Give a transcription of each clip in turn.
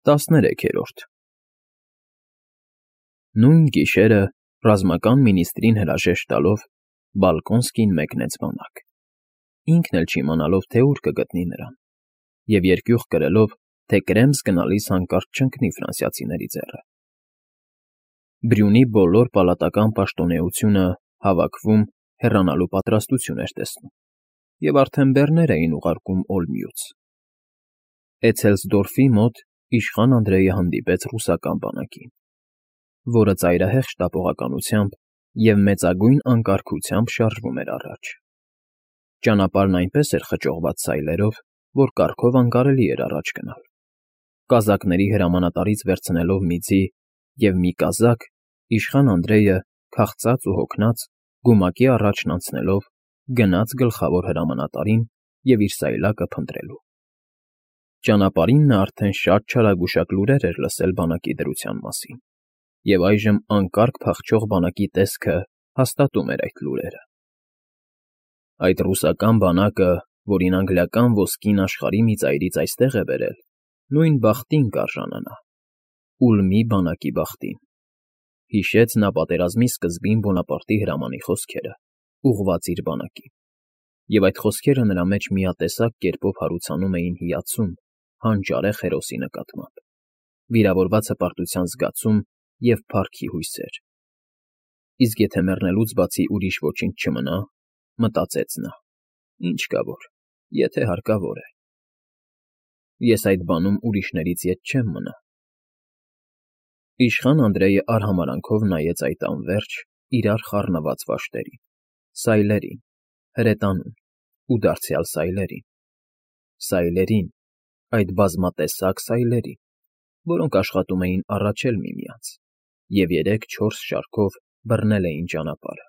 13-րդ Նույն գիշերը, ռազմական մինիստրին հրաժեշտ տալով, Բալկոնսկին մեկնեց բանակ, ինքն էլ չիմանալով, թե ուր կգտնի նրան, և երկյուղ կրելով, թե Կրեմս գնալիս հանկարծ չընկնի ֆրանսիացիների ձեռը։ Բրյունի բոլոր պալատական պաշտոնեությունը հավաքվում հեռանալու պատրաստություն էր տեսնում, և արդեն բեռներ էին ուղարկում Օլմյուց։ Էցելսդորֆի մոտ իշխան Անդրեյը հանդիպեց ռուսական բանակին, որը ծայրահեղ շտապողականությամբ և մեծագույն անկարգությամբ շարժվում էր առաջ։ Ճանապարհն այնպես էր խճողված սայլերով, որ կառքով անկարելի էր առաջ գնալ։ Կազակների հրամանատարից վերցնելով մի ձի և մի կազակ, իշխան Անդրեյը, քաղցած ու հոգնած, գումակի առաջն անցնելով, գնաց գլխավոր հրամանատարին և իր սայլակը փնտրելու։ Ճանապարհին նա արդեն շատ չարագուշակ լուրեր էր լսել բանակի դրության մասին, և այժմ անկարգ փախչող բանակի տեսքը հաստատում էր այդ լուրերը։ Այդ ռուսական բանակը, որին անգլիական ոսկին աշխարհի մի ծայրից այստեղ է բերել, նույն բախտին կարժանանա, Ուլմի բանակի բախտին, հիշեց նա պատերազմի սկզբին Բոնապարտի հրամանի խոսքերը, ուղղված իր բանակին, և այդ խոսքերը նրա մեջ միատեսակ կերպով հարուցանում էին հիացում, հանճարեղ հերոսի նկատմամբ, վիրավորված հպարտության զգացում և փառքի հույսեր։ Իսկ եթե մեռնելուց բացի ուրիշ ոչինչ չմնա, մտածեց նա, ինչ կա որ, եթե հարկավոր է։ Ես այդ բանում ուրիշներից ետ չեմ մնա։ Իշխան Անդրեյը արհամարանքով նայեց այդ անվերջ, իրար խառնված վաշտերին, սայլերին, հրետանուն ու դարձյալ սայլերին, այդ բազմատեսակ սայլերին, որոնք աշխատում էին առաջել միմյանց և 3-4 շարքով բռնել էին ճանապարհը։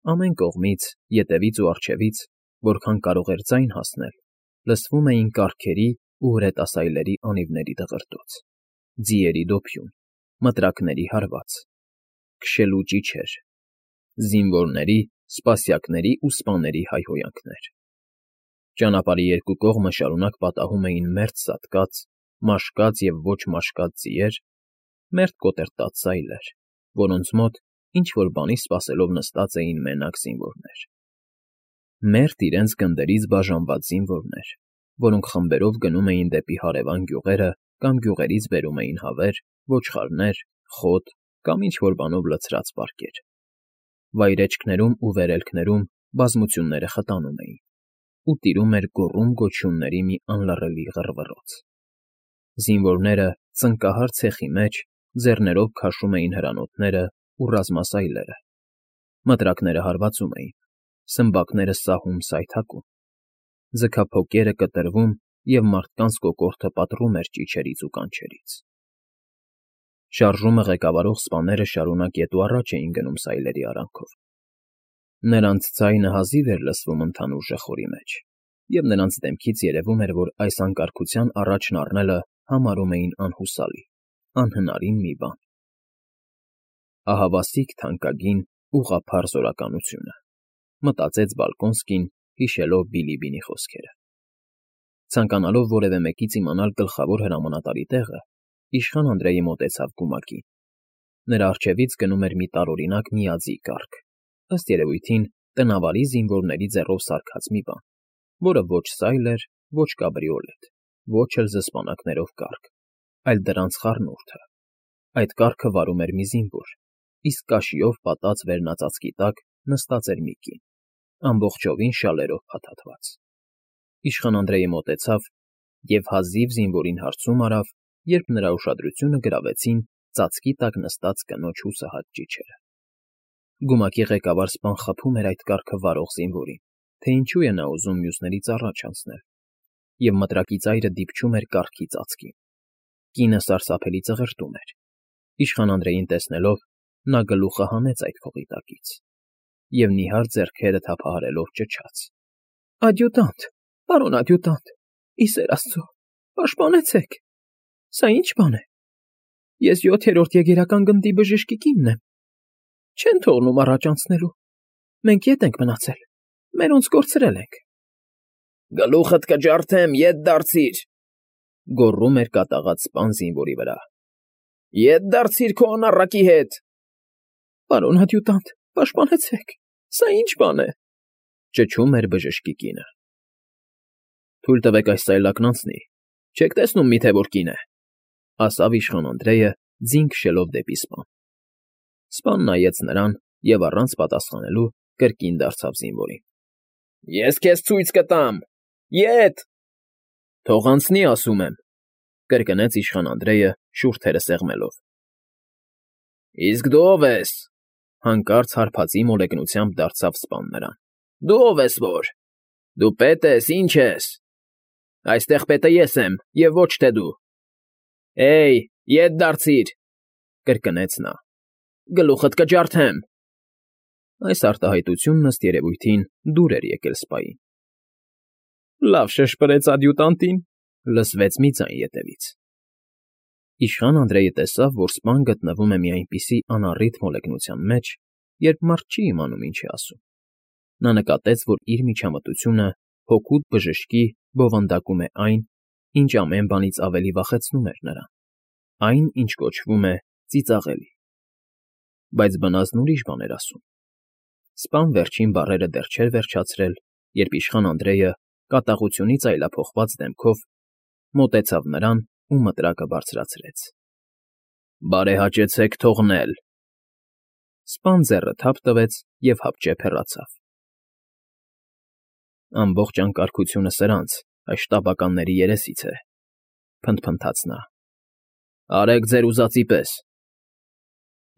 Ամեն կողմից, ետևից ու առջևից, որքան կարող էր ձայն հասնել, լսվում էին կառքերի ու հրետասայլերի անիվների դղրդոց, ձիերի դոփյուն, մտրակների հարված, քշելու ճիչեր, զինվորների, սպասյակների ու սպաների հայհոյանքներ։ Ճանապարհի երկու կողմը շարունակ պատահում էին մերթ սատկած, մաշկած և ոչ մաշկած ձիեր, մերթ կոտրտած սայլեր, որոնց մոտ ինչ֊որ բանի սպասելով նստած էին մենակ զինվորներ։ Մերթ իրենց գնդերից բաժանված զինվորներ, որոնք խմբերով գնում էին դեպի հարևան գյուղերը կամ գյուղերից բերում էին հավեր, ոչխարներ, խոտ կամ ինչ֊որ բանով լցրած պարկեր։ Վայրէջքներում ու վերելքներում բազմությունները խտանում էին, ու տիրում էր գոռում֊գոչյունների մի անլռելի ғռվռոց։ Զինվորները ծնկահար ցեխի մեջ ձեռներով քաշում էին հրանոթները ու ռազմասայլերը, մտրակները հարվածում էին, սմբակները սահում֊սայթաքում, ձգափոկերը կտրվում և մարդկանց կոկորդը պատռում էր ճիչերից ու կանչերից։ Շարժումը ղեկավարող սպաները շարունակ ետ ու առաջ էին գնում սայլերի արանքով։ Նրանց ձայնը հազիվ էր լսվում ընդհանուր ժխորի մեջ, և նրանց դեմքից երևում էր, որ այս անկարգության առաջն առնելը համարում էին անհուսալի, անհնարին մի բան։ Ահավասիկ թանկագին, ուղղափառ զորականությունը, մտածեց Բալկոնսկին, հիշելով Բիլիբինի խոսքերը։ Ցանկանալով որևէ մեկից իմանալ գլխավոր հրամանատարի տեղը, իշխան Անդրեյը մոտեցավ գումակին։ Նրա առջևից գնում էր մի տարօրինակ միաձիգ կառք, ըստ երևույթին տնավարի զինվորների ձեռով սարքած մի բան, որը ոչ սայլ էր, ոչ կաբրիոլետ, ոչ էլ զսպանակներով կառք, այլ դրանց խառնուրդը։ Այդ կառքը վարում էր մի զինվոր, իսկ կաշիով պատած վերնածածկի տակ նստած էր մի կին, ամբողջովին շալերով փաթաթված։ Իշխան Անդրեյը մոտեցավ և հազիվ զինվորին հարցում արավ, երբ նրա ուշադրությունը գրավեցին ծածկի տակ նստած կնոջ հուսահատ ճիչերը։ Գումակի ղեկավար սպան խփում էր այդ կառքը վարող զինվորին, թե ինչու է նա ուզում մյուսներից առաջ անցնել, և մտրակի ծայրը դիպչում էր կառքի ծածկին։ Կինը սարսափելի ծղրտում էր։ Իշխան Անդրեյին տեսնելով, նա գլուխը հանեց այդ փողի տակից և նիհար ձեռքերը թափահարելով ճչաց. «Ադյուտանտ, պարոն ադյուտանտ, ի սեր Աստծո, պաշտպանեցեք, սա ի՞նչ բան է։ Ես 7-րդ եգերական գնդի բժիշկի կինն եմ, չեն թողնում առաջ անցնելու, մենք ետ ենք մնացել, մերոնց կորցրել ենք»։ Գլուխդ կջարդեմ, ետ դարձիր, գոռում էր կատաղած սպան զինվորի վրա։ Ետ դարձիր քո անառակի հետ։ Պարոնադյուտանտ, պաշտպանեցեք, սա ինչ բան է, ճչում էր բժշկի կինը։ Թույլ տվեք այս սայլակն անցնի, չեք տեսնում միթե որ կին է, ասավ իշխան Անդրեյը, ձին քշելով դեպի սպան։ Սպան նայեց նրան և առանց պատասխանելու կրկին դարձավ զինվորին։ Ես քեզ ցույց կտամ, ետ։ Թող անցնի, ասում եմ, կրկնեց իշխան Անդրեյը շուրթերը սեղմելով։ Իսկ դու ով ես, հանկարծ հարբածի մոլեգնությամբ դարձավ սպան նրան։ Դու ով ես որ։ Դու պետ ես, ինչ ես։ Այստեղ պետը ես եմ, և ոչ թե դու։ Էյ, ետ դարձիր, կրկնեց նա։ Գլուխդ կջարդեմ։ Այս արտահայտությունն ըստ երևույթին դուր էր եկել սպային։ Լավ շշպրեց ադյուտանտին, լսվեց մի ձայն ետևից։ Իշխան Անդրեյը տեսավ, որ սպան գտնվում է մի այնպիսի անառիթ մոլեգնության մեջ, երբ մարդ չի իմանում ինչ է ասում։ Նա նկատեց, որ իր միջամտությունը հօգուտ բժշկի բովանդակում է այն, ինչ ամեն բանից ավելի վախեցնում էր նրան, այն, ինչ կոչվում է ծիծաղելի։ Բայց բնազդն ուրիշ բան էր ասում։ Սպան վերջին բառերը դեռ չէր վերջացրել, երբ իշխան Անդրեյը կատաղությունից այլափոխված դեմքով մոտեցավ նրան ու մտրակը բարձրացրեց։ Բարեհաճեցեք թողնել։ Սպան ձեռը թափ տվեց և հապճեպ հեռացավ։ Ամբողջ անկարգությունը սրանց, այս շտապականների երեսից է, փնթփնթաց նա։ Արեք ձեր ուզածի պես։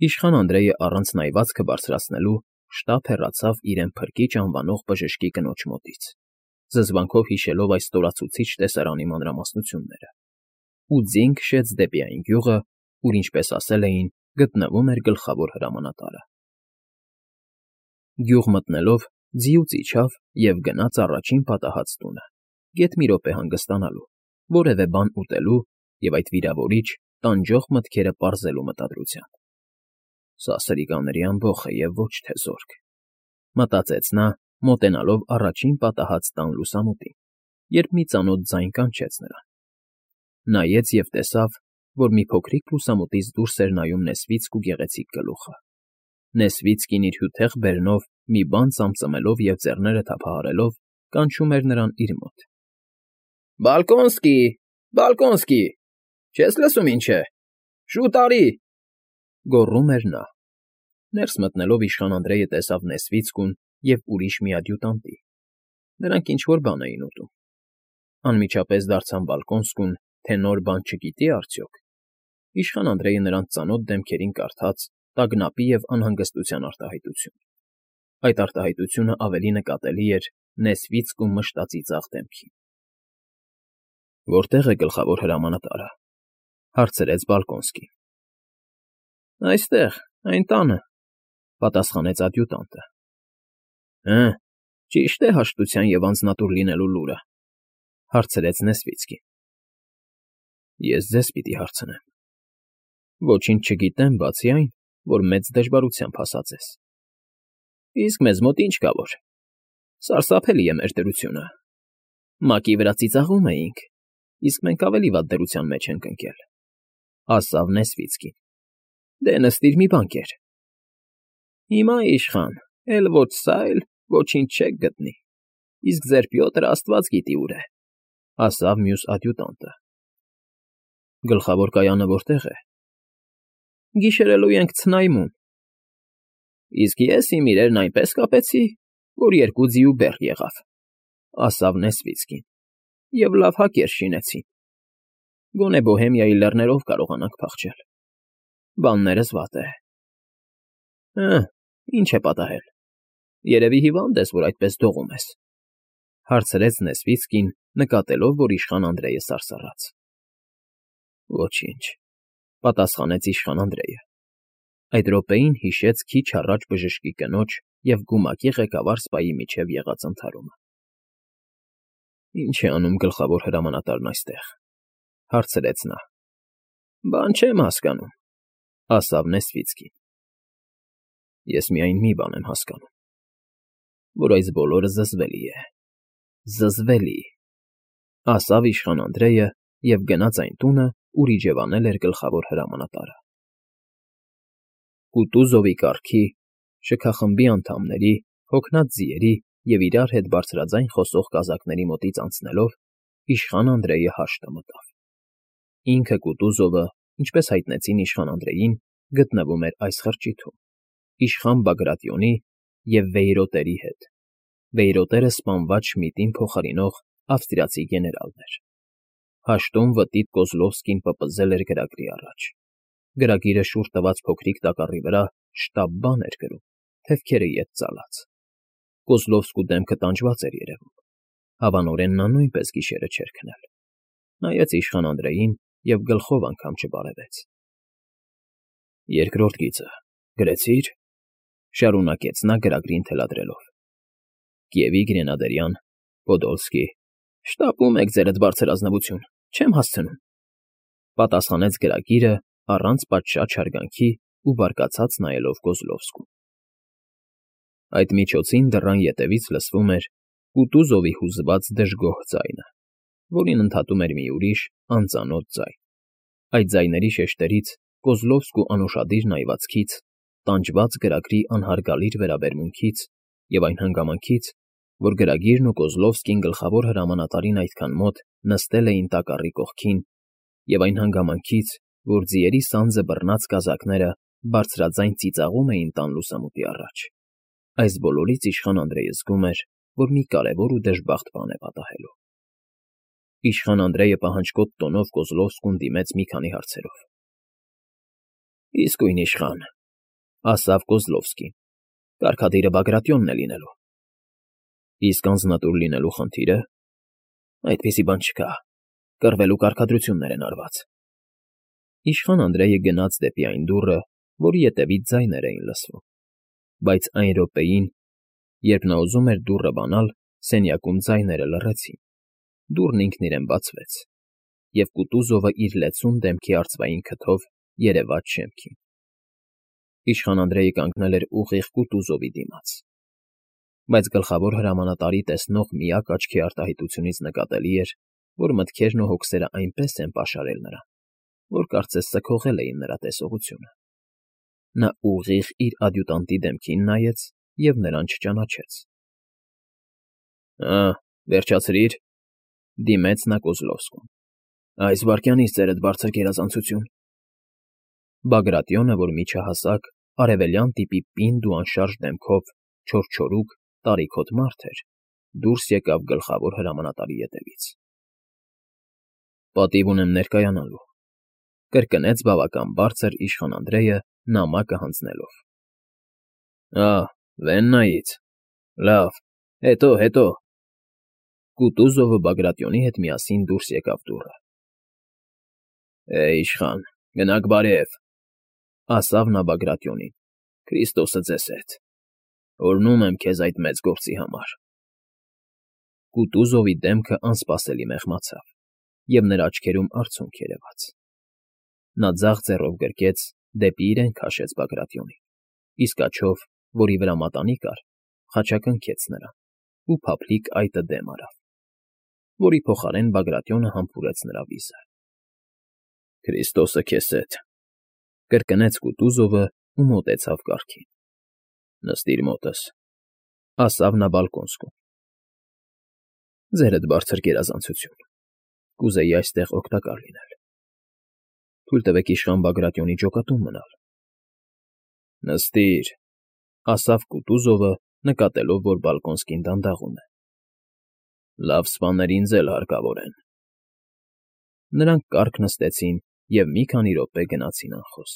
Իշխան Անդրեյը առանց նայվածքը բարձրացնելու շտապ հեռացավ իրեն Փրկիչ անվանող բժշկի կնոջ մոտից, զզվանքով հիշելով այս ստորացուցիչ տեսարանի մանրամասնությունները, ու ձին քշեց դեպի այն գյուղը, ուր, ինչպես ասել էին, գտնվում էր գլխավոր հրամանատարը։ Գյուղ մտնելով ձիուց իջավ և գնաց առաջին պատահած տունը, գեթ մի րոպե հանգստանալու, որևէ բան ուտելու և այդ վիրավորիչ, տանջող մտքերը պարզելու մտադրությամբ։ Սա սրիկաների ամբոխ է և ոչ թե զորք, մտածեց նա, մոտենալով առաջին պատահած տան լուսամուտին, երբ մի ծանոթ ձայն կանչեց նրան։ Նայեց և տեսավ, որ մի փոքրիկ լուսամուտից դուրս էր նայում նեսվիցք ու գեղեցիկ գլուխը։ Նեսվիցկին իր հյութեղ բերնով մի բան ծամծմելով և ձեռները թափահարելով կանչում էր նրան իր մոտ։ Բալկոնսկի, Բալկոնսկի, չես լսում ինչ է, շուտ արի, գոռում էր նա։ Ներս մտնելով իշխան Անդրեյը տեսավ Նեսվիցկուն և ուրիշ մի ադյուտանտի։ Նրանք ինչ֊որ բան էին ուտում։ Անմիջապես դարձան Բալկոնսկուն, թե նոր բան չգիտի արդյոք։ Իշխան Անդրեյը նրանց ծանոթ դեմքերին կարդաց տագնապի և անհանգստության արտահայտություն։ Այդ արտահայտությունը ավելի նկատելի էր Նեսվիցկու մշտածիծաղ դեմքին։ Որտե՞ղ է գլխավոր հրամանատարը, հարցրեց Բալկոնսկին։ Այստեղ, այն տանը, պատասխանեց ադյուտանտը։ Հը, ճիշտ է հաշտության և անձնատուր լինելու լուրը, հարցրեց Նեսվիցկին։ Ես ձեզ պիտի հարցնեմ։ Ոչինչ չգիտեմ, բացի այն, որ մեծ դժվարությամբ հասած ես։ Իսկ մեզ մոտ ինչ կա որ։ Սարսափելի է մեր դրությունը։ Մակի վրա ծիծաղում էինք, իսկ մենք ավելի վատ դրության մեջ ենք ընկել, ասավ Նեսվիցկին։ Դե նստիր մի բան կեր։ Հիմա իշխան, էլ ոչ սա էլ ոչինչ չեք գտնի, իսկ ձեր Պյոտրը աստված գիտի ուր է, ասավ մյուս ադյուտանտը։ Գլխավոր կայանը որտե՞ղ է։ Գիշերելու ենք Ցնայմում։ Իսկ ես իմ իրերն այնպես կապեցի, որ 2 ձիու բեռ եղավ, ասավ Նեսվիցկին, և լավ հակեր շինեցին։ Գոնե Բոհեմիայի լեռներով կարողանանք փախչել։ Բաններս վատ է։ Հը, ինչ է պատահել։ Երևի հիվանդ ես, որ այդպես դողում ես, հարցրեց Նեսվիցկին, նկատելով, որ իշխան Անդրեյը սարսռաց։ Ոչինչ, պատասխանեց իշխան Անդրեյը։ Այդ րոպեին հիշեց քիչ առաջ բժշկի կնոջ և գումակի ղեկավար սպայի միջև եղած ընդհարումը։ Ինչ է անում գլխավոր հրամանատարն այստեղ, հարցրեց նա։ Բան չեմ հասկանում, ասավ Նեսվիցկին։ Ես միայն մի բան եմ հասկանում, որ այս բոլորը զզվելի է, զզվելի, ասավ իշխան Անդրեյը և գնաց այն տունը, ուր իջևանել էր գլխավոր հրամանատարը։ Կուտուզովի կառքի, շքախմբի անդամների, հոգնած ձիերի և իրար հետ բարձրաձայն խոսող կազակների մոտից անցնելով իշխան Անդրեյը հաշտը մտավ։ Ինքը Կուտուզովը, ինչպես հայտնեցին իշխան Անդրեյին, գտնվում էր այս խրճիթում, իշխան Բագրատիոնի և վեյրոտերի հետ։ Վեյրոտերը սպանված Շմիդին փոխարինող ավստրիացի գեներալն էր։ Հաշտում վտիտ Կոզլովսկին պպզել էր գրագրի առաջ։ Գրագիրը շուռ տված փոքրիկ տակառի վրա շտապ բան էր գրում, թևքերը ետ ծալած։ Կոզլովսկու դեմքը տանջված էր երևում։ Հավանորեն նա նույնպես գիշերը չէր քնել։ Նայեց իշխան Անդրեյին և գլխով անգամ չբարևեց։ Երկրորդ գիծը գրեցի՞ր,֊ շարունակեց նա գրագրին թելադրելով։ Կիևի Գրենադերյան, Պոդոլսկի, շտապում եք ձերդ բարձր ազնվություն, չեմ հասցնում,֊ պատասխանեց գրագիրը առանց պատշաճ հարգանքի ու բարկացած նայելով Կոզլովսկուն։ Այդ միջոցին դռան ետևից լսվում էր Կուտուզովի հուզված դժգոհ ձայնը, որին ընդհատում էր մի ուրիշ, անծանոթ ձայն։ Այդ ձայների շեշտերից, Կոզլովսկու անուշադիր նայվածքից, տանջված գրագրի անհարգալից վերաբերմունքից և այն հանգամանքից, որ գրագիրն ու Կոզլովսկին գլխավոր հրամանատարին այդքան մոտ նստել էին տակառի կողքին, և այն հանգամանքից, որ ձիերի սանձը բռնած կազակները բարձրաձայն ծիծաղում էին տան լուսամուտի առաջ, այս բոլորից իշխան Անդրեյը զգում էր, որ մի կարևոր ու դժբախտ բան է պատահելու։ Իշխան Անդրեյը պահանջկոտ տոնով Կոզլովսկուն դիմեց մի քանի հարցերով։ Իսկույն իշխան,֊ ասավ Կոզլովսկին,֊ կարգադիրը Բագրատիոնն է լինելու։ Իսկ անձնատուր լինելու խնդիրը… Այդպիսի բան չկա, կռվելու կարգադրություններ են արված։ Իշխան Անդրեյը գնաց դեպի այն դուռը, որի ետևից ձայներ էին լսվում, բայց այն րոպեին, երբ նա ուզում էր դուռը բանալ, սենյակում ձայները լռեցին, դուռն ինքն իրեն բացվեց, և Կուտուզովը իր լեցուն դեմքի արծվային քթով երևաց շեմքին։ Իշխան Անդրեյը կանգնել էր ուղիղ Կուտուզովի դիմաց, բայց գլխավոր հրամանատարի տեսնող միակ աչքի արտահայտությունից նկատելի էր, որ մտքերն ու հոգսերը այնպես են պաշարել նրան, որ կարծես սքողել էին նրա տեսողությունը։ Նա ուղիղ իր ադյուտանտի դեմքին նայեց և նրան չճանաչեց։ Վերջացրի՛ր,֊ դիմեց նա Կոզլովսկուն։ Այս վայրկյանից ձերդ բարձր գերազանցություն։ Բագրատիոնը, որ միջահասակ, արևելյան տիպի պինդ ու անշարժ դեմքով չորչորուկ, տարիքոտ մարդ էր, դուրս եկավ գլխավոր հրամանատարի ետևից։ Պատիվ ունեմ ներկայանալու,֊ կրկնեց բավական բարձր իշխան Անդրեյը նամակը հանձնելով։ Վեննայից… Լավ, հետո,… Կուտուզովը Բագրատիոնի հետ միասին դուրս եկավ դուռը։ Իշխան, գնաք բարև,֊ ասավ նա Բագրատիոնին,֊ Քրիստոսը ձեզ հետ… Օրհնում եմ քեզ այդ մեծ գործի համար։ Կուտուզովի դեմքը անսպասելի մեղմացավ, և նրա աչքերում արցունք երևաց։ Նա ձախ ձեռով գրկեց, դեպի իրեն քաշեց Բագրատիոնին, իսկ աջով, որի վրա մատանի կար, խաչակնքեց նրան ու փափլիկ այտը դեմ արավ, որի փոխարեն Բագրատիոնը համբուրեց նրա վիզը։ Քրիստոսը քեզ հետ,֊ կրկնեց Կուտուզովը ու մոտեցավ կառքին։ Նստիր մոտս,֊ ասավ նա բալկոնскում։ Ձերդ բարձր գերազանցություն, կուզեի այստեղ օգտակար լինել։ Թույլ տվեք իշխան Բագրատիոնի ջոկատում մնալ։ Նստիր,֊ ասավ Կուտուզովը, նկատելով, որ բալկոնскին դանդաղում է։ Լավ սպաներ ինձ էլ հարկավոր են։ Նրանք կառք նստեցին և մի քանի րոպե գնացին անխոս։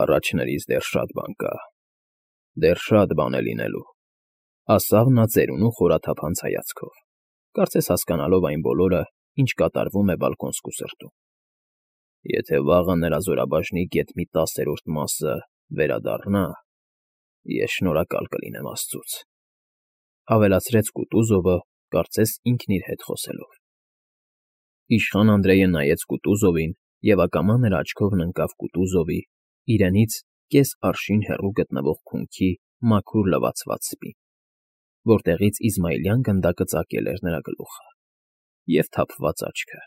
Առաջներիս դեռ շատ բան կա, դեռ շատ բան է լինելու,֊ ասավ նա ծերունու խորաթափանց հայացքով, կարծես հասկանալով այն բոլորը, ինչ կատարվում է բալկոնскու սրտում։ Եթե վաղը նրա զորաբաժնի գեթ մի 10-րդ մասը վերադառնա, ես շնորհակալ կլինեմ աստծուց,֊ ավելացրեց Կուտուզովը, կարծես ինքն իր հետ խոսելով։ Իշխան Անդրեյը նայեց Կուտուզովին, և ակամա նրա աչքովն ընկավ Կուտուզովի, իրենից կես արշին հեռու գտնվող քունքի մաքուր լվացված սպին, որտեղից Իզմայելյան գնդակը ծակել էր նրա գլուխը։ և թափված աչքը։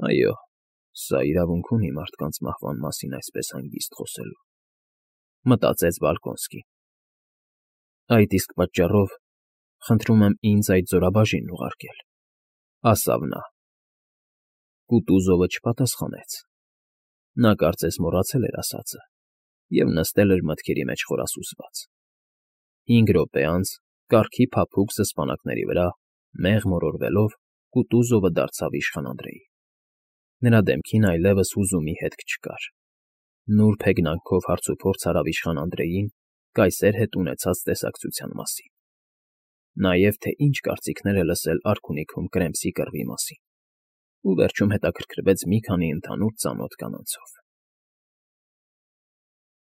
Այո, սա իրավունք ունի մարդկանց մահվան մասին այսպես հանգիստ խոսելու, մտածեց Բալկոնսկին։ Այդ իսկ պատճառով խնդրում եմ ինձ այդ զորաբաժինն ուղարկել, ասավ նա։ Կուտուզովը չպատասխանեց։ Նա կարծես մոռացել էր ասածը և նստել էր մտքերի մեջ խորասուզված։ 5 րոպե անց, կառքի փափուկ սսպանակների վրա մեղ մորորվելով, Կուտուզովը դարձավ իշխան Անդրեի։ Նրա դեմքին այլևս հուզումի հետք չկար։ Նուրբ հեգնանքով հարցուփորձ արավ իշխան Անդրեին կայսեր հետ ունեցած տեսակցության մասին, նաև թե ինչ կարծիքներ է լսել արքունիքում Կրեմսի կռվի մասին, ու վերջում հետաքրքրվեց մի քանի ընդհանուր ծանոթ կանանցով։